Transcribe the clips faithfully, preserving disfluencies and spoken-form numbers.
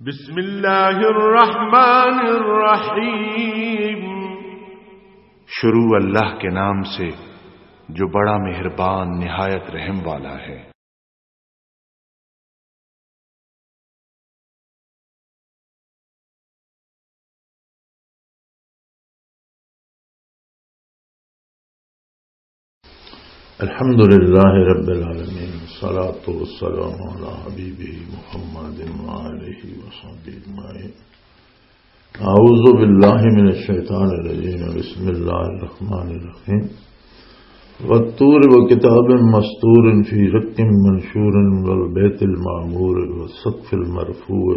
بسم اللہ الرحمن الرحیم۔ شروع اللہ کے نام سے جو بڑا مہربان نہایت رحم والا ہے۔ الحمد لله رب العالمين، والصلاة والسلام على حبيبه محمد وآله وصحبه أجمعين. أعوذ بالله من الشيطان الرجيم. بسم الله الرحمن الرحيم. والطور وكتاب مسطور في رق منشور والبيت المعمور والسقف المرفوع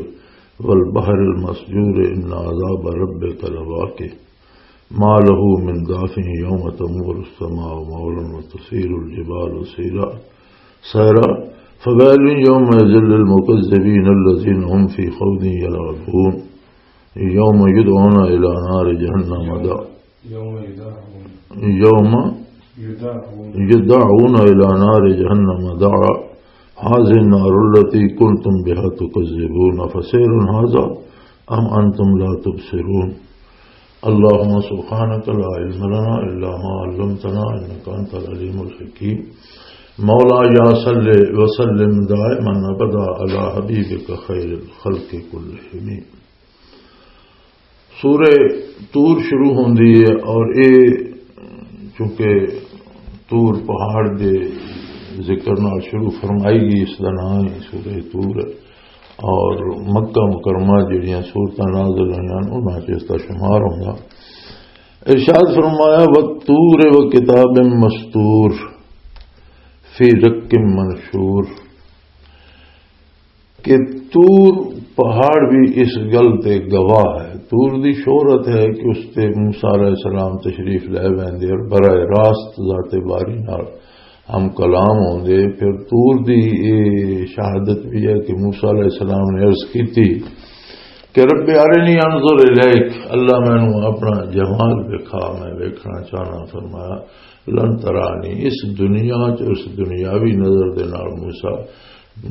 والبحر المسجور إن عذاب ربك لواقع. ما له من دافع يوم تمور السماء مورا وتسير الجبال سيرا، سيرا، فويل يومئذ للمكذبين الذين هم في خوض يلعبون. يوم يدعون إلى نار جهنم دعا. يوم يدعون. يوم يدعون. يدعون إلى نار جهنم دعا. هذه النار التي كنتم بها تكذبون. فسحر هذا أم أنتم لا تبصرون. اللهم سبحانك لا علم لنا إلا ما علمتنا إنك أنت العليم الحكيم. مولاي صل وسلم دائما أبدا على حبيبك خير الخلق كلهم. سورہ طور شروع ہوندی ہے اور اے چونکہ طور پہاڑ دے ذکر نال شروع فرمائی گئی، اس دا نام ہی سورہ طور ہے۔ اور مکہ مکرمہ جڑیاں سورتاں نازل ہوئیاں، انہاں چ اس دا شمار ہوندا۔ ارشاد فرمایا، "والطور وكتاب مسطور في رق منشور"، کہ طور پہاڑ بھی اس گل تے گواہ ہے۔ طور دی شہرت ہے کہ اس تے موسیٰ علیہ السلام تشریف لے ویندے اور براہ راست ذات باری نال ہم کلام ہوندے۔ پھر طور دی اے شہادت بھی ہے کہ موسیٰ علیہ السلام نے عرض کیتی کہ "رب ارنی انظر الیک"، اللہ مینوں اپنا جمال وکھا، میں ویکھنا چاہنا۔ فرمایا، "لن ترانی"، اس دنیا چ، اس دنیاوی نظر دے نال موسیٰ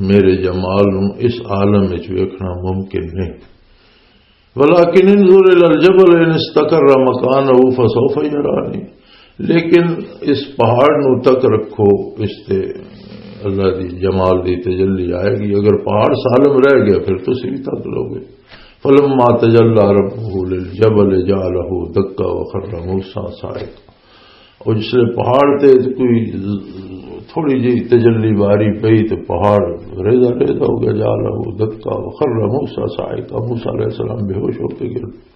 میرے جمال نوں اس عالم وچ ویکھنا ممکن نہیں۔ "ولكن انظر إلى الجبل إن استقر مكانه فسوف يراني"، لیکن اس پہاڑ نوں تک رکھو، اس تے اللہ دی جمال دی تجلی آئے گی۔ اگر پہاڑ سالم رہ گیا، پھر تسی بھی تک لو گے۔ "فلما تجلى ربه للجبل جعله دكا وخر موسى صعقا"، اور جس لئے پہاڑ تے کوئی تھوڑی جی تجلی باری پئی تے پہاڑ ریزہ ریزہ ہو گیا، "جعله دكا وخر موسى صعقا"، موسیٰ علیہ السلام بے ہوش ہو کے گر۔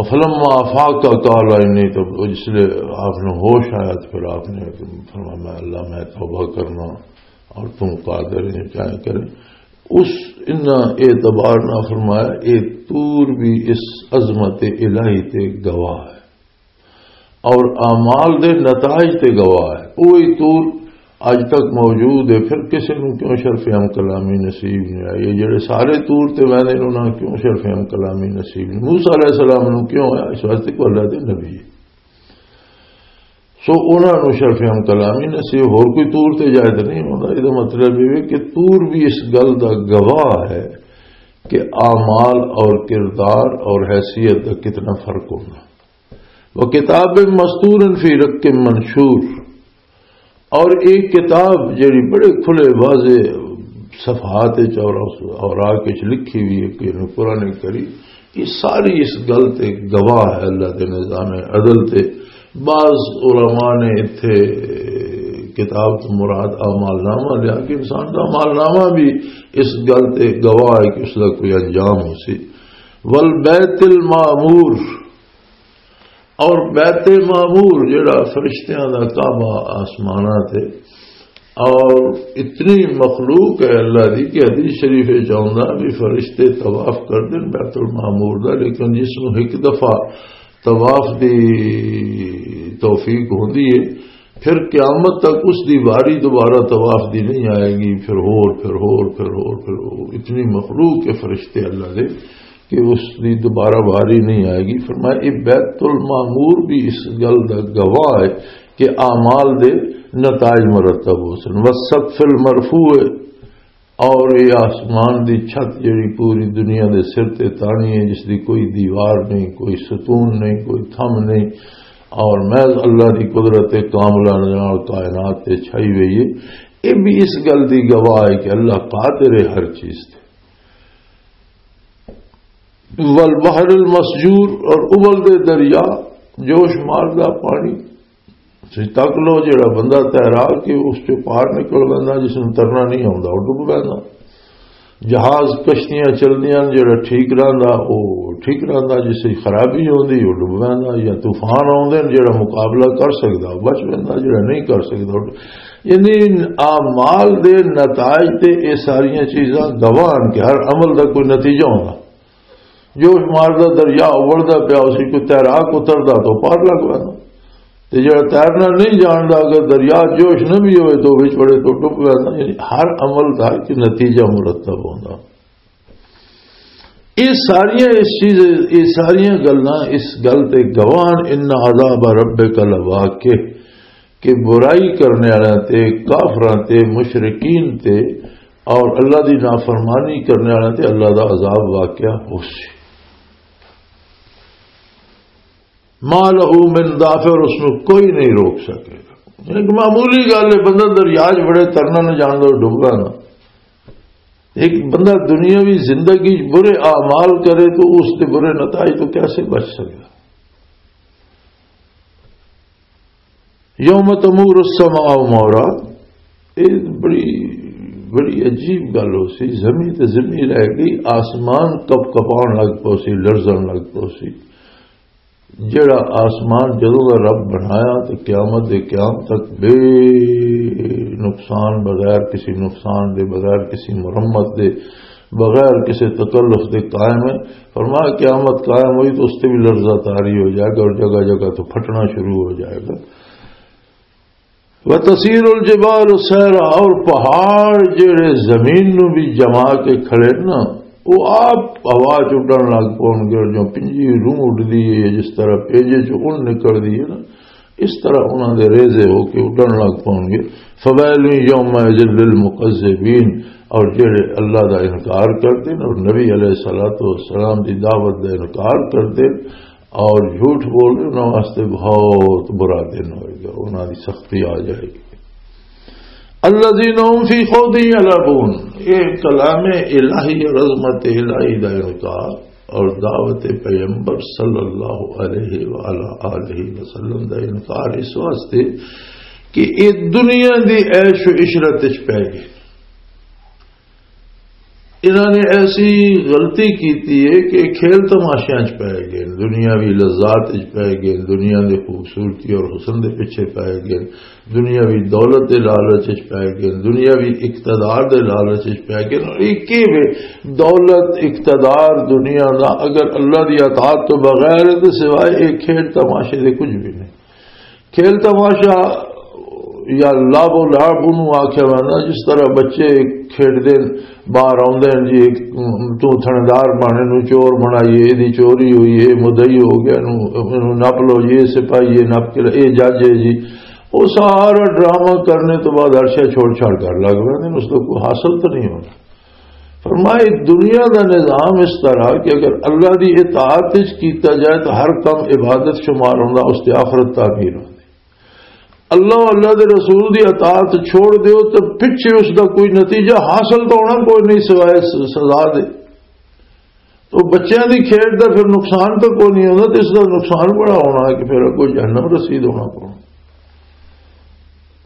"فلما أفاق قال إني"، تو جس لئے آپ نے ہوش آیا تو پھر آپ نے فرمایا، "میں اللہ، میں توبہ کرنا اور تم قادر ہیں، کیا کریں۔" اس ان اعتبار نہ فرمایا، اے طور بھی اس عظمت الہی تے گواہ ہے اور اعمال دے نتائج تے گواہ ہے۔ وہی طور اج تک موجود ہے، پھر کسی نوں کیوں شرف ہم کلامی نصیب نہیں آئی؟ یہ جڑے سارے طور تے ویندے نے، انہاں نوں کیوں شرف ہم کلامی نصیب نہیں؟ موسیٰ علیہ السلام نوں کیوں آیا؟ اس واسطے کہ اللہ دے نبی ہے۔ سو انہاں نوں شرف ہم کلامی نصیب، ہور کوئی طور تے جائے تے نہیں ہوندا۔ یہ مطلب یہ ہے کہ طور بھی اس گل دا گواہ ہے کہ اعمال اور کردار اور حیثیت دا کتنا فرق ہونا۔ "وكتاب مسطور في رق منشور"، اور ایک کتاب جڑی بڑے کھلے واضح صفحات وچ اور اوراق وچ لکھی ہوئی ہے کہ قرآن کریم، یہ ساری اس گل تے گواہ ہے، اللہ دے نظام عدل تے۔ بعض علماء نے اتھے کتاب تو مراد اعمال نامہ لیا کہ انسان دا اعمال نامہ بھی اس گل تے گواہ ہے کہ اس دا کوئی انجام ہو سی۔ "والبيت المعمور"، اور بیت معمور جڑا فرشتیاں دا کعبہ آسماناں تے، اور اتنی مخلوق ہے اللہ دی کہ حدیث شریف وچ آوندا بھی فرشتے طواف کردے نے بیت المعمور دا، لیکن جس نوں ایک دفعہ طواف دی توفیق ہوندی ہے، پھر قیامت تک اس دی واری دوبارہ طواف دی نہیں آئے گی، پھر ہور، پھر ہور، پھر ہور، پھر ہور۔ اتنی مخلوق ہے فرشتے اللہ دے کہ اس دی دوبارہ واری نہیں آئے گی۔ فرمایا، یہ بیت المعمور بھی اس گل دا گواہ ہے کہ اعمال دے نتائج مرتب ہو سن۔ والسقف المرفوع، اور یہ آسمان دی چھت جڑی پوری دنیا دے سر تے تانی ہے، جس دی کوئی دیوار نہیں، کوئی ستون نہیں، کوئی تھم نہیں، اور محض اللہ دی قدرت کاملہ نال کائنات تے چھائی ہوئی ہے، یہ بھی اس گل دی گواہ ہے کہ اللہ قادر ہے ہر چیز تے۔ والبحر المسجور، اور ابلدے دریا، جوش ماردا پانی۔ تسی تک لو، جڑا بندہ تیرا کے اس چوں پار نکل ویندا، جس نوں ترنا نہیں آوندا، وہ ڈب ویندا۔ جہاز، کشتیاں چلدیاں، جڑا ٹھیک رہندا، وہ ٹھیک رہندا، جس وچ خرابی ہوندی، وہ ڈب ویندا۔ یا طوفان آوندے نے، جڑا مقابلہ کر سکدا، وہ بچ ویندا، جڑا نہیں کر سکدا، وہ ڈ-، یعنی اعمال دے نتائج تے یہ ساریاں چیزاں گواہ ہن کہ ہر عمل دا کوئی نتیجہ ہوندا۔ جوش ماردا دریا اولدا پیا، اسی کوئی تیراک اتردا تو پار لگ ویندا۔ تے جڑا تیرنا نہیں جاندا، اگر دریا جوش نہ بھی ہوئے تو وچ بڑے تو ڈب ویندا۔ یعنی ہر عمل دا ایک نتیجہ مرتب ہوندا۔ یہ ساریاں اس چیز، یہ ساریاں گلاں اس گل تے گواہ ہن، ان عذاب ربک لواقع، کہ برائی کرنے والے تے، کافراں تے، مشرکین تے اور اللہ دی نافرمانی کرنے والے تے اللہ دا عذاب واقعہ ہو سی۔ ما لہ من دافع، اس نو کوئی نہیں روک سکے گا۔ ایک معمولی گل ہے، بندہ دریا چ بڑے ترنا نہ جاندا، ڈبدا نا۔ ایک بندہ دنیاوی زندگی چ برے اعمال کرے تو اس دے برے نتائج تو کیسے بچ سکتا؟ یوم تمور السماء مورا، یہ بڑی، بڑی عجیب گل ہو سی۔ زمین تے زمین رہ گئی، آسمان کپ کپان لگ پو سی، لرزن لگ پو سی۔ جڑا آسمان جدوں دا رب بنایا تے قیامت دے قیام تک بے نقصان، بغیر کسی نقصان دے، بغیر کسی مرمت دے، بغیر کسی تکلف دے قائم ہے۔ فرمایا قیامت قائم ہوئی تو اس تے بھی لرزہ طاری ہو جائے گا اور جگہ جگہ تو پھٹنا شروع ہو جائے گا۔ وَتَسِيرُ الْجِبَالُ سَيْرًا، اور پہاڑ جڑے زمین نو بھی جما کے کھڑے نا، وہ آپ ہوا چ اڈن لگ پون گے، اور جو پنجی روح اڈدی ہے، جس طرح پیجے چ اون نکلدی ہے نا، اس طرح انہاں دے ریزے ہو کے اڈن لگ پون گے۔ فَوَيْلٌ يَوْمَئِذٍ لِّلْمُكَذِّبِينَ، اور جڑے اللہ دا انکار کردے نے اور نبی علیہ الصلوۃ والسلام دی دعوت دا انکار کردے اور جھوٹ بول رہے، انہاں واسطے بہت برا دن ہوئے گا، انہاں دی سختی آ جائے گی۔ الذین هم فی خوض یلعبون، یہ کلام الہی اور عظمت الہی دا انکار اور دعوت پیغمبر صلی اللہ علیہ وآلہ آلہ وسلم دا انکار اس واسطے کہ یہ دنیا دی عیش و عشرت وچ پے گئے۔ انہاں نے ایسی غلطی کیتی ہے کہ کھیل تماشیاں چ پے گئے، دنیاوی لذات چ پے گئے، دنیا دی خوبصورتی اور حسن دے پیچھے پے گئے، دنیاوی دولت دے لالچ چ پے گئے، دنیاوی اقتدار دے لالچ چ پے گئے۔ اور ایک ہی وے، دولت، اقتدار، دنیا دا اگر اللہ دی اطاعت تو بغیر ہے تو سوائے ایک کھیل تماشے دے کچھ بھی نہیں۔ کھیل تماشا یا لعب و لعب انہوں آکھیا ویندا، جس طرح بچے کھیڈدے نے، باہر آوندے نے جی، ایک تو تھندار بنے نو چور بنائیے، ایدی چوری ہوئی ہے، مدعی ہو گیا، نو، نو نپ لو جی، اے سپاہی ہے، نپ کے لے، اے جج ہے جی۔ وہ سارا ڈرامہ کرنے تو بعد ہر شے چھوڑ چھاڑ کر لگ پہ، اس کو کوئی حاصل تو نہیں ہونا۔ فرمایا، دنیا دا نظام اس طرح کہ اگر اللہ دی اطاعت وچ کیتا جائے تو ہر کم عبادت شمار ہوندا، اس دی آخرت تعمیر ہوندی۔ اللہ و اللہ دے رسول دی اطاعت چھوڑ دیو تو پچھے اس دا کوئی نتیجہ حاصل تو ہونا کوئی نہیں سوائے س-، سزا دے۔ تو بچیاں دی کھیڈ دا پھر نقصان تو کوئی نہیں ہوندا، تو اس دا نقصان بڑا ہونا ہے کہ پھر اگوں جہنم رسید ہونا پونا۔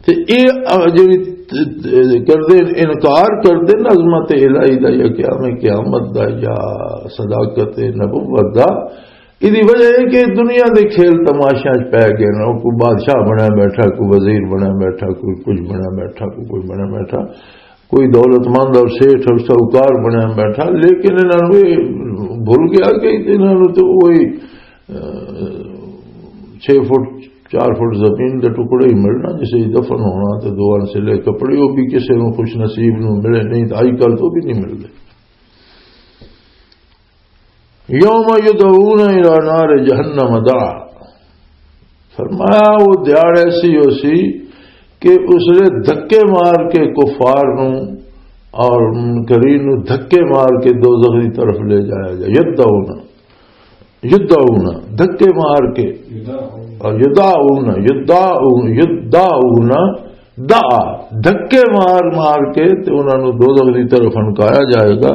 تے اے، آ، جڑی ت-، ت-، کردے، انکار کردے نا عظمت الہی دا یا قیام قیامت دا یا صداقت نبوت دا، ایدی وجہ اے کہ دنیا دے کھیل تماشیاں چ پے گئے نے۔ کوئی بادشاہ بنیا بیٹھا، کوئی وزیر بنیا بیٹھا، کوئی کچھ بنیا بیٹھا، کوئی کچھ بنیا بیٹھا، کوئی دولت مند اور سیٹھ اور ساہوکار بنیا بیٹھا، لیکن انہاں نوں اے بھل گیا کہ انہاں نوں تے وہی، آ، چھ فٹ، چار فٹ زمین دے ٹکڑے ہی ملنا، جسے ہی دفن ہونا، تے دو انسلے کپڑے، وہ بھی کسے نوں خوش نصیب نوں ملے، نہیں تے اج کل تو بھی نہیں ملدے۔ یوم یدعون الی نار جہنم دعا۔ فرمایا، وہ دیہاڑ ایسی ہو سی کہ اس نے دھکے مار کے کفار نوں اور منکرین نو دھکے مار کے دوزخ دی طرف لے جایا جائے۔ یدعون، یدعون، دھکے مار کے۔ اور یدعون، یدعون، یدعون، دعا، دھکے مار مار کے تے انہاں نو دوزخ دی طرف ہنکایا جائے گا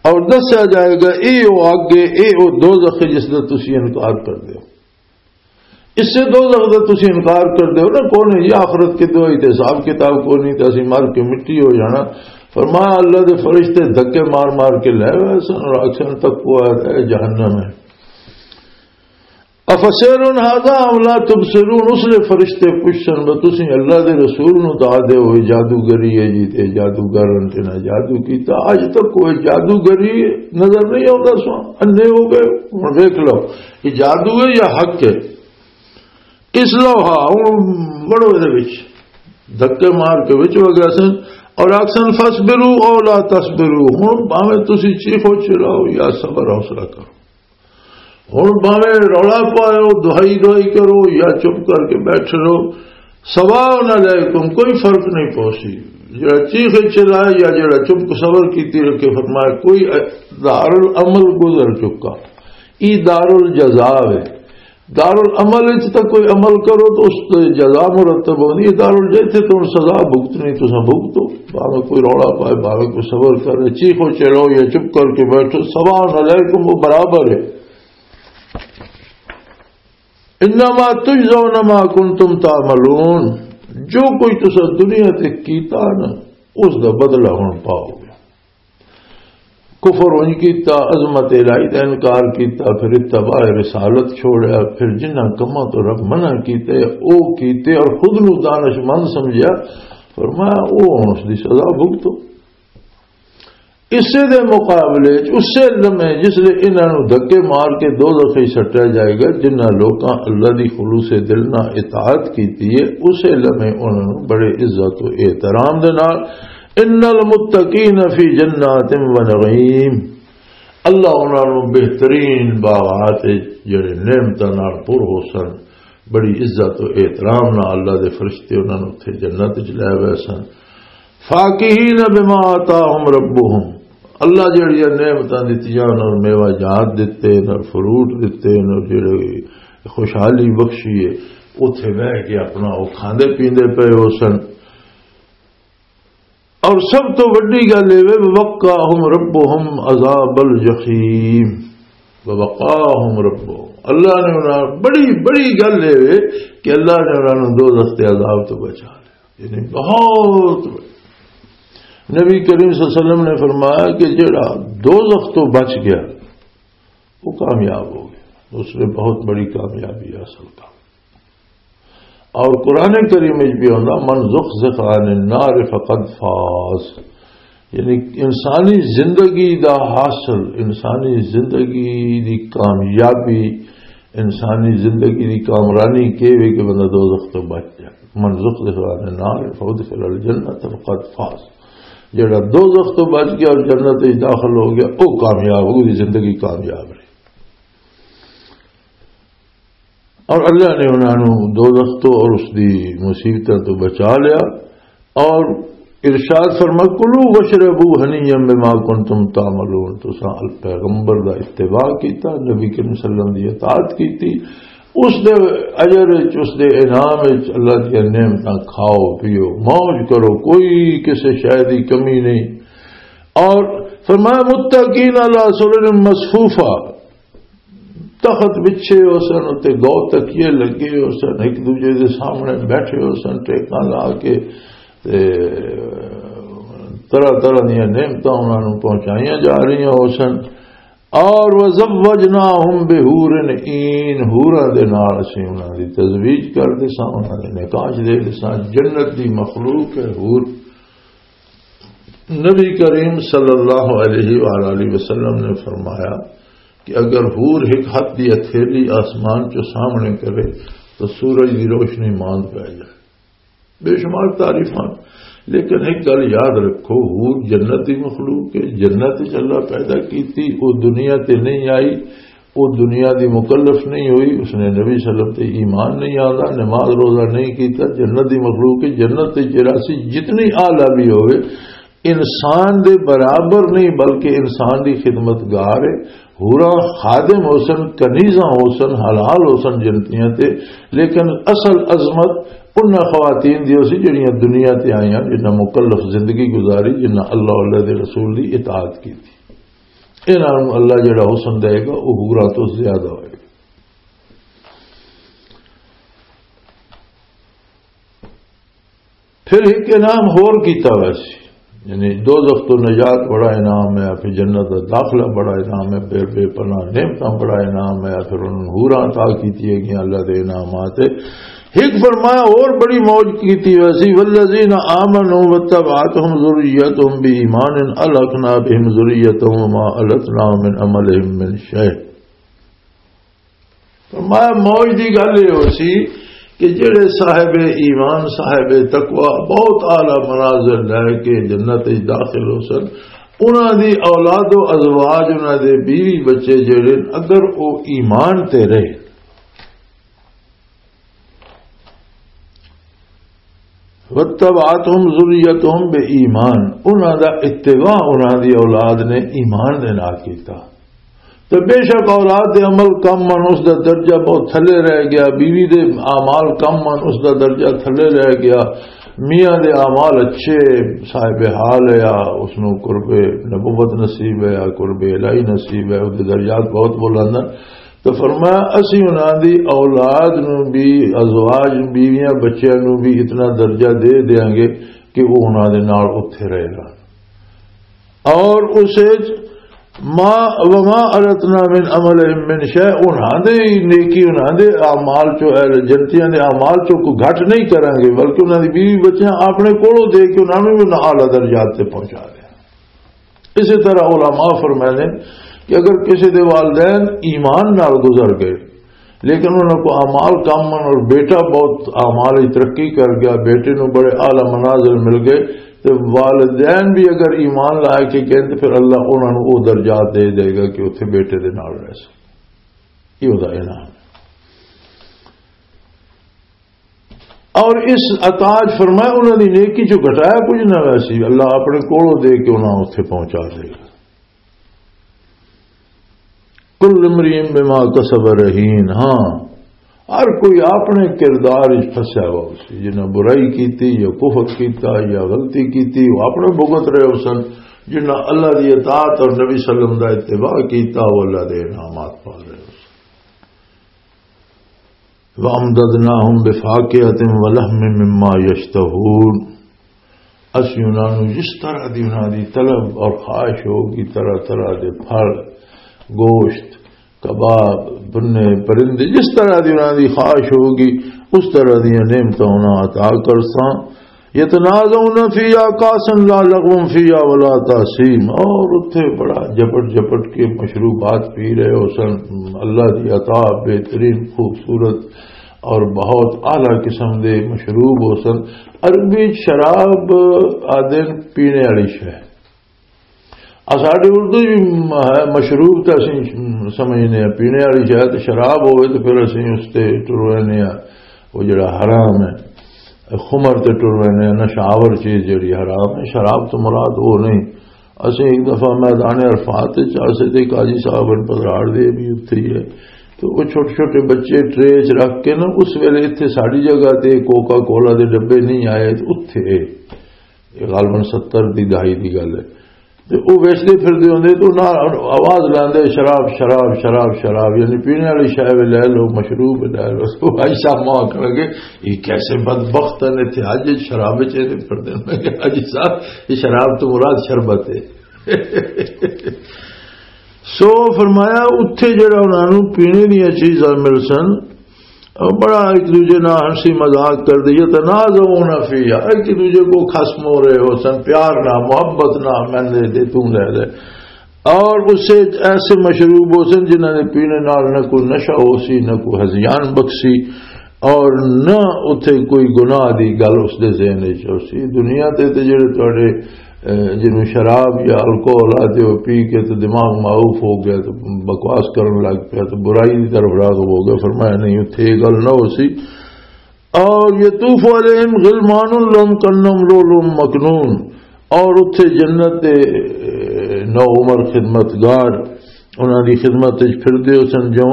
اور دسیا جائے گا، اے او اگ ہے، اے او دوزخ ہے جس دا تسی انکار کر دیو۔ اس سے دوزخ دا تسی انکار کر دیو نا، کون ہے یہ آخرت کے دوائی تے حساب کتاب کو نہیں تے اسی مر کے مٹی ہو جانا۔ فرمایا، اللہ دے فرشتے دھکے مار مار کے لے ہوئے سن اور اکثر تک وہ ہے جہنم ہے۔ افسحر هذا ام لا تبصرون، اس لیے فرشتے پوچھن، "وہ تسی اللہ دے رسول نو دعا دے ہوئے جادوگری ہے جی، تے جادوگر انتے نہ جادو کیتا، اج تک کوئی جادوگری نظر نہیں آتا سو، اندھے ہو گئے، ہن دیکھ لو، یہ جادو ہے یا حق ہے؟" اس لو ہا، ہن وڑو دے وچ، دھکے مار کے وچ ہو گیا سن، اور آکسن، "فاصبروا او لا تصبروا"، ہن بھاویں تسی چیخو چلاؤ یا صبر حوصلہ کرو۔ ہن بھاویں رولا پاؤ، دہائی دہائی کرو یا چپ کر کے بیٹھ رہو، سواء علیکم، کوئی فرق نہیں پوسی۔ جڑا چیخ چلائے یا جڑا چپ صبر کیتی رکھے، فرمایا کوئی دار العمل گزر چکا، ای دار الجزا ہے۔ دار العمل وچ تاں کوئی عمل کرو تو اس تے جزا مرتب ہوندی ہے، دار الجزا تے تم سزا بھگتنی، تساں بھگتو، بھاویں کوئی رولا پائے، بھاویں کوئی صبر کرے، چیخو چلو یا چپ کر کے بیٹھو، سواء علیکم، وہ برابر ہے۔ انما تجزون ما کنتم تعملون، جو کوئی تسا دنیا تے کیتا نا، اس دا بدلہ ہن پاؤ گے۔ کفر انج کیتا، عظمت الہی دا انکار کیتا، پھر اتباع رسالت چھوڑیا، پھر جنہاں کماں تو رب منع کیتے، او کیتے اور خود نو دانش مند سمجھیا، فرمایا، او ہن اس دی سزا بھگتو۔ اسے دے مقابلے چ اسے لمحے جس لے انہاں نوں دھکے مار کے دوزخ وچ سٹیا جائے گا، جنہاں لوکاں اللہ دی خلوص دل نال اطاعت کیتی ہے، اسے لمحے انہاں نوں بڑے عزت و احترام دے نال، ان المتقین فی جنات و نعیم، اللہ انہاں نوں بہترین باغات وچ جڑے نعمتاں نال پر ہو سن، بڑی عزت و احترام نال اللہ دے فرشتے انہاں نوں اتھے جنت وچ لے گئے سن۔ فاکہین بما آتاہم ربہم، اللہ جڑیاں نعمتاں دتیاں، انہاں نوں میوہ جات دتے، انہاں نوں فروٹ دتے، انہاں نوں جڑے خوشحالی بخشی ہے، اوتھے بہ کے اپنا او کھاندے پیندے پئے ہو سن۔ اور سب تو وڈی گل اے وے، وقاہم ربہم عذاب الجحیم، وقاہم ربہم، اللہ نے انہاں، بڑی بڑی گل اے وے کہ اللہ نے انہاں نوں دوزخ دے عذاب تو بچا لیا۔ یعنی بہت بڑی۔ نبی کریم صلی اللہ علیہ وسلم نے فرمایا کہ جڑا دوزخ تو بچ گیا، وہ کامیاب ہو گیا، اس نے بہت بڑی کامیابی حاصل کر۔ اور قرآن کریم وچ بھی آندا، "من زحزح عن النار فقد فاز"، یعنی انسانی زندگی دا حاصل، انسانی زندگی دی کامیابی، انسانی زندگی دی کامرانی کہ وے کہ بندہ دوزخ تو بچ جائے۔ "من زحزح عن النار فادخل الجنۃ فقد فاز"، جڑا دوزخ تو بچ گیا اور جنت وچ داخل ہو گیا، او کامیاب، او دی زندگی کامیاب رہی۔ اور اللہ نے انہاں نوں دوزخ تو اور اس دی مصیبتاں تو بچا لیا۔ اور ارشاد فرما، "کلوا واشربوا ہنیئا بما کنتم تعملون"، تساں پیغمبر دا اتباع کیتا، نبی کریم صلی اللہ علیہ وسلم دی اطاعت کیتی، اس دے اجر وچ، اس دے انعام وچ اللہ دی نعمتاں کھاؤ پیو، موج کرو، کوئی کسے شے دی کمی نہیں۔ اور فرمایا، "متکئین علی سرر مصفوفہ"، تخت بچھے ہو سن تے گو تکیے لگے ہو سن، ایک دوجے دے سامنے بیٹھے ہو سن، ٹیکاں لا کے تے طرح طرح دیاں نعمتاں انہاں نوں پہنچائیاں جا رہیاں ہو سن۔ اور وزوجناہم بحور عین، حوراں دے نال اسی انہاں دی تزویج کر دے ساں، انہاں دے نکاح دے دے ساں۔ جنت دی مخلوق ہے حور۔ نبی کریم صلی اللہ علیہ وآلہ وسلم نے فرمایا کہ اگر حور ایک ہاتھ دی ہتھیلی آسمان چوں سامنے کرے تو سورج دی روشنی ماند پہ جائے۔ بے شمار تعریفاں، لیکن ایک گل یاد رکھو، حور جنت دی مخلوق ہے، جنت وچ اللہ پیدا کیتی، وہ دنیا تے نہیں آئی، وہ دنیا دی مکلف نہیں ہوئی، اس نے نبی صلی اللہ علیہ وسلم تے ایمان نہیں آتا، نماز روزہ نہیں کیتا، جنت دی مخلوق ہے، جنت تے جراسی جتنی اعلیٰ بھی ہوئے، انسان دے برابر نہیں، بلکہ انسان دی خدمتگار ہے۔ حوراں خادم ہو سن، کنیزاں ہو سن، حلال ہو سن جنتیاں تے، لیکن اصل عظمت انہاں خواتین دی ہو سی جڑیاں دنیا تے آئیاں، جنہاں مکلف زندگی گزاری، جنہاں اللہ، اللہ دے رسول دی اطاعت کی تھی۔ انہاں نوں اللہ جڑا حسن دے گا، وہ حوراں تو زیادہ ہوئے گا۔ پھر ایک انعام ہور کیتا ویسی، یعنی دوزخ تو نجات بڑا انعام ہے، پھر جنت دا داخلہ بڑا انعام ہے، پھر بے پناہ نعمتاں بڑا انعام ہے، پھر انہوں نے حوراں عطا کیتی ہے گیاں اللہ دے انعامات ہے۔ ایک فرمایا اور بڑی موج کیتی ویسی، والذین آمنوا واتبعتهم ذریتهم بإیمان الحقنا بهم ذریتهم وما التناهم من عملهم من شیء۔ فرمایا، موج دی گل یہ ہو سی کہ جڑے صاحب ایمان، صاحب تقوی، بہت اعلیٰ منازل لے کے جنت وچ داخل ہو سن، انہاں دی اولاد و ازواج، انہاں دے بیوی بچے جڑے، اگر او ایمان تے رہے، واتبعتهم ذریتهم بإیمان، انہاں دا اتباع انہاں دی اولاد نے ایمان دے نال کیتا۔ تے بے شک اولاد دے عمل کم من، اس دا درجہ بہت تھلے رہ گیا، بیوی دے اعمال کم من، اس دا درجہ تھلے رہ گیا، میاں دے اعمال اچھے، صاحب حال ہے، اس نو قرب نبوت نصیب ہے، قرب الہی نصیب ہے، اس دے درجات بہت بلند ہیں۔ تو فرمایا، اسی انہاں دی اولاد نو بھی، ازواج، بیویاں، بچیاں نو بھی اتنا درجہ دے دیاں گے کہ وہ انہاں دے نال اتھے رہے گا۔ اور اس وچ ما، وما التنا من عملهم من شیء، انہاں دے ہی نیکی، انہاں دے اعمال چو، اہل جنتیاں دے اعمال چو کوئی گھٹ نہیں کریں گے، بلکہ انہاں دی بیوی بچیاں اپنے کولوں دے کے انہاں نوں بھی انہاں اعلیٰ درجات تے پہنچا دیں۔ اسی طرح علماء فرماتے ہیں کہ اگر کسی دے والدین ایمان نال گزر گئے، لیکن انہاں کو اعمال کم من اور بیٹا بہت اعمال وچ ترقی کر گیا، بیٹے نوں بڑے اعلیٰ منازل مل گئے، تے والدین بھی اگر ایمان لا کے کہیں تے پھر اللہ انہاں نوں او درجات دے دے گا کہ اتھے بیٹے دے نال رہ سکے۔ یہ ہوتا ہے نا۔ اور اس عطا چ فرمایا، انہاں دی نیکی چوں گھٹایا کچھ نہ ویسی، اللہ اپنے کولوں دے کے انہاں اتھے پہنچا دے گا۔ کل امرئ بما کسب رہین، ہاں، ہر کوئی اپنے کردار وچ پھسیا ہوا سی، جنہاں برائی کیتی یا کفر کیتا یا غلطی کیتی، وہ اپنے بھگت رہے ہو سن۔ جنہاں اللہ دی اطاعت اور نبی صلی اللہ علیہ وسلم دا اتباع کیتا، وہ اللہ دے انعامات پا رہے ہو سن۔ وَأَمْدَدْنَاهُمْ بِفَاكِهَةٍ وَلَحْمٍ مِّمَّا يَشْتَهُونَ۔ اسی انہاں نوں جس طرح دی انہاں دی طلب اور خواہش ہوگی، طرح طرح دے پھل، گوشت، کباب، بنے، پرندے، جس طرح دی انہاں دی خواہش ہوگی، اس طرح دیاں نعمتاں انہاں عطا کرساں۔ یتنازعون فیہا کأسا لا لغو فیہا ولا تأثیم، اور اتھے بڑا جپٹ جپٹ کے مشروبات پی رہے ہو سن، اللہ دی عطا بہترین خوبصورت اور بہت اعلیٰ قسم دے مشروب ہو سن۔ عربی شراب آدن پینے والی شے۔ آ ساڈے اردو وچ م-، ہے، مشروب تے اسی سمجھنے ہیں، پینے والی شے تے شراب ہوئے تے پھر اسی اس تے ٹر رہنے ہیں، وہ جڑا حرام ہے، خمر تے ٹر رہنے ہیں، نشہ آور چیز جڑی حرام ہے۔ شراب تو مراد وہ نہیں۔ اسی ایک دفعہ میدان عرفات وچ آسے تے قاضی صاحب ان پدراڑ دے بھی اتھے ہی ہے، تو وہ چھوٹے چھوٹے بچے ٹرے چ رکھ کے نا، اس ویلے اتھے ساڈی جگہ تے کوکا کولا دے ڈبے نہیں آئے، تے اتھے یہ غالباً ستر دی دہائی دی گل ہے۔ تے او ویچدے پھردے ہوندے تے انہاں آواز لاندے، "شراب، شراب، شراب، شراب"، یعنی پینے والی شے وی لے لو، مشروب وی لے لو۔ تو بھائی صاحب ماں آکھن لگے، "یہ کیسے بدبخت ہیں، اتھے حج وچ شراب وچ ایندے پھردے نے۔" میں کہا، "حاجی صاحب، یہ شراب تو مراد شربت ہے۔" سو فرمایا، اتھے جڑا انہاں نوں پینے دیاں چیزاں مل سن، بڑا ایک دوجے نال ہنسی مذاق کر دی، یتنازعون فیہا، ایک دوجے کو خصم ہو رہے ہو سن، پیار نہ، محبت نہ، میں دے دے، توں لے لے۔ اور اس سے ایسے مشروب ہو سن جنہاں دے پینے نال نہ کوئی نشہ ہو سی، نہ کوئی ہذیان بخشی، اور نہ اتھے کوئی گناہ دی گل اس دے ذہن وچ ہو سی۔ دنیا تے تے جڑے تواڈے، اے، جنوں شراب یا الکوہل آتے ہو، پی کے تے دماغ معروف ہو گیا، تے بکواس کرن لگ پیا، تے برائی دی طرف راغب ہو گیا۔ فرمایا، نہیں، اتھے یہ گل نہ ہو سی۔ اور یطوف علیہم غلمان لہم کأنہم لؤلؤ مکنون، اور اتھے جنت دے نو عمر خدمتگار انہاں دی خدمت وچ پھردے ہو سن، جو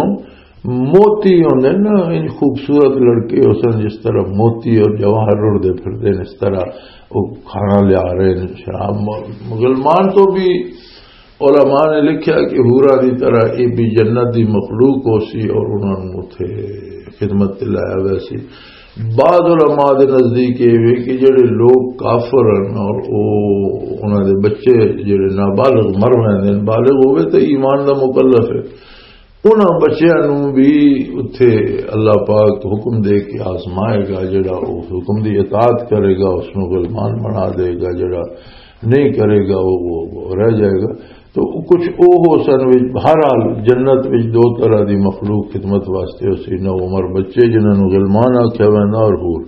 موتی ہوندے نا، ان خوبصورت لڑکے ہو سن، جس طرح موتی اور جواہر اڑدے پھردے نے، اس طرح وہ کھانا لیا رہے ہیں، شراب۔ م-، مسلمان تو بھی علماء نے لکھیا کہ حوراں دی طرح یہ بھی جنت دی مخلوق ہو سی اور انہاں نوں اتھے خدمت تے لایا ہویا سی۔ بعض علماء دے نزدیک یہ وے کہ جڑے لوگ کافر ہیں اور او انہاں دے بچے جڑے نابالغ مر ویندے ہیں، بالغ ہوئے تے ایمان دا مکلف ہے، انہاں بچیاں نوں بھی اتھے اللہ پاک حکم دے کے آزمائے گا، جڑا اس حکم دی اطاعت کرے گا اس نوں غلمان بنا دے گا، جڑا نہیں کرے گا وہ، وہ، وہ رہ جائے گا۔ تو کچھ او ہو سن وچ، بہرحال جنت وچ دو طرح دی مخلوق خدمت واسطے ہو سی، نو عمر بچے جنہاں نوں غلمان آکھیا ویندا اور حور۔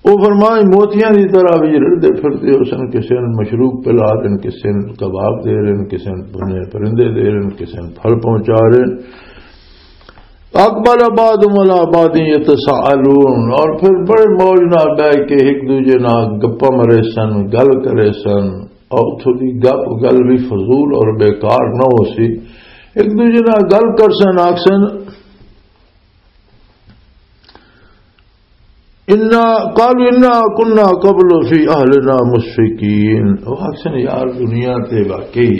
او فرمائے موتیاں دی طرح وچ رڑدے پھردے ہو سن، کسے نوں مشروب پلا رہے ہیں، کسے نوں کباب دے رہے ہیں، کسے نوں بنے پرندے دے رہے ہیں، کسے نوں پھل پہنچا رہے ہیں۔ اقبل بعضهم على بعض يتساءلون، اور پھر بڑے موج نال بیٹھ کے ایک دوجے نال گپاں مرے سن، گل کرے سن، اور اتھوں دی گپ گل بھی فضول اور بیکار نہ ہو سی۔ ایک دوجے نال گل کر سن، آکھ سن، انا، قالوا انا كنا قبل في اهلنا مشفقين۔ وہ آکھ سن، یار، دنیا تے واقعی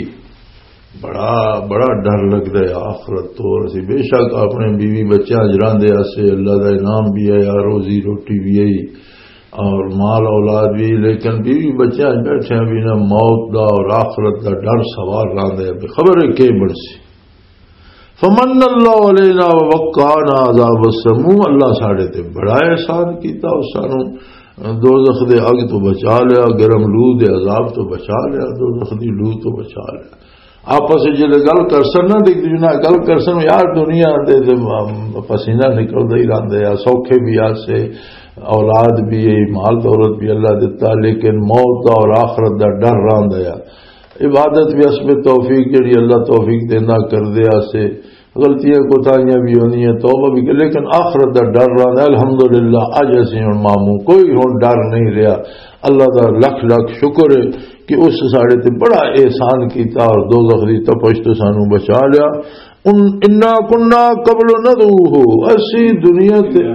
بڑا، بڑا ڈر لگدا ہے آخرت تو۔ اسی بے شک اپنے بیوی بچیاں چ رہندے آسے، اللہ دا انعام بھی ہے، روزی روٹی بھی ہے اور مال اولاد بھی، لیکن بیوی بچیاں چ بیٹھے بھی نہ موت دا اور آخرت دا ڈر سوال رہندا ہے، بے خبر ہے کی بنسی۔ فمن اللہ علینا ووقانا عذاب السموم، اللہ ساڈے تے بڑا احسان کیتا، اس سانو دوزخ دے اگ تو بچا لیا، گرم لو دے عذاب تو بچا لیا، دوزخ دی لو تو بچا لیا۔ آپس وچ جدے گل کرسن نا، تے ایک دوجے نال گل کرسن، یار، دنیا دے تے پسینہ نکلدا ہی رہندا ہے، سوکھے بھی آسے، اولاد بھی ہے، مال دولت بھی اللہ دتا، لیکن موت دا اور آخرت دا ڈر رہندا ہے۔ عبادت بھی اس میں توفیق جڑی اللہ توفیق دینا کردے آسے، غلطیاں کوتاہیاں بھی ہونی ہیں، توبہ بھی کر، لیکن آخرت دا ڈر رہندا ہے۔ الحمدللہ، اج اسی ہن ماموں، کوئی ہن ڈر نہیں رہیا۔ اللہ دا لکھ لکھ شکر ہے کہ اس ساڈے تے بڑا احسان کیتا اور دوزخ دی تپش تو سانو بچا لیا۔ ان، انا کنا قبل ندعوہ، اسی دنیا تے،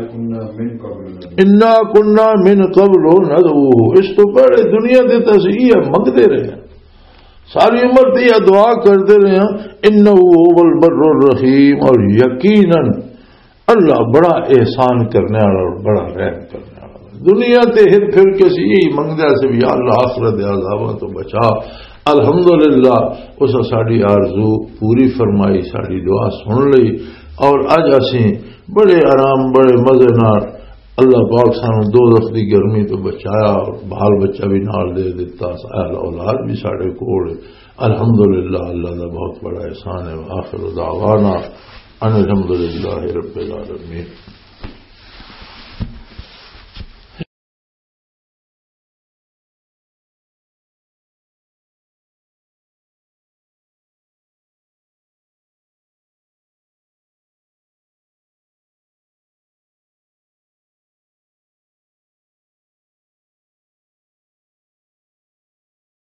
انا کنا من قبل ندعوہ، اس تو پہلے دنیا تے تے اسی یہ منگدے رہے ہیں، ساری عمر تے یہ دعا کردے رہے ہیں، انہ هو البر الرحیم، اور یقیناً اللہ بڑا احسان کرنے والا اور بڑا رحم کرنے والا۔ دنیا تے ہر پھر کے اسی یہی منگدے سے بھی، یا اللہ، آخرت دے عذاباں تو بچا۔ الحمدللہ، اس ساڈی آرزو پوری فرمائی، ساڈی دعا سن لئی، اور اج اسی بڑے آرام، بڑے مزے نال اللہ پاک سانو دوزخ دی گرمی تو بچایا اور بال بچہ بھی نال دے دیتا، اہل اولاد بھی ساڈے کول۔ الحمدللہ، اللہ دا بہت بڑا احسان ہے۔ آخر دعوانا ان الحمدللہ رب العالمین۔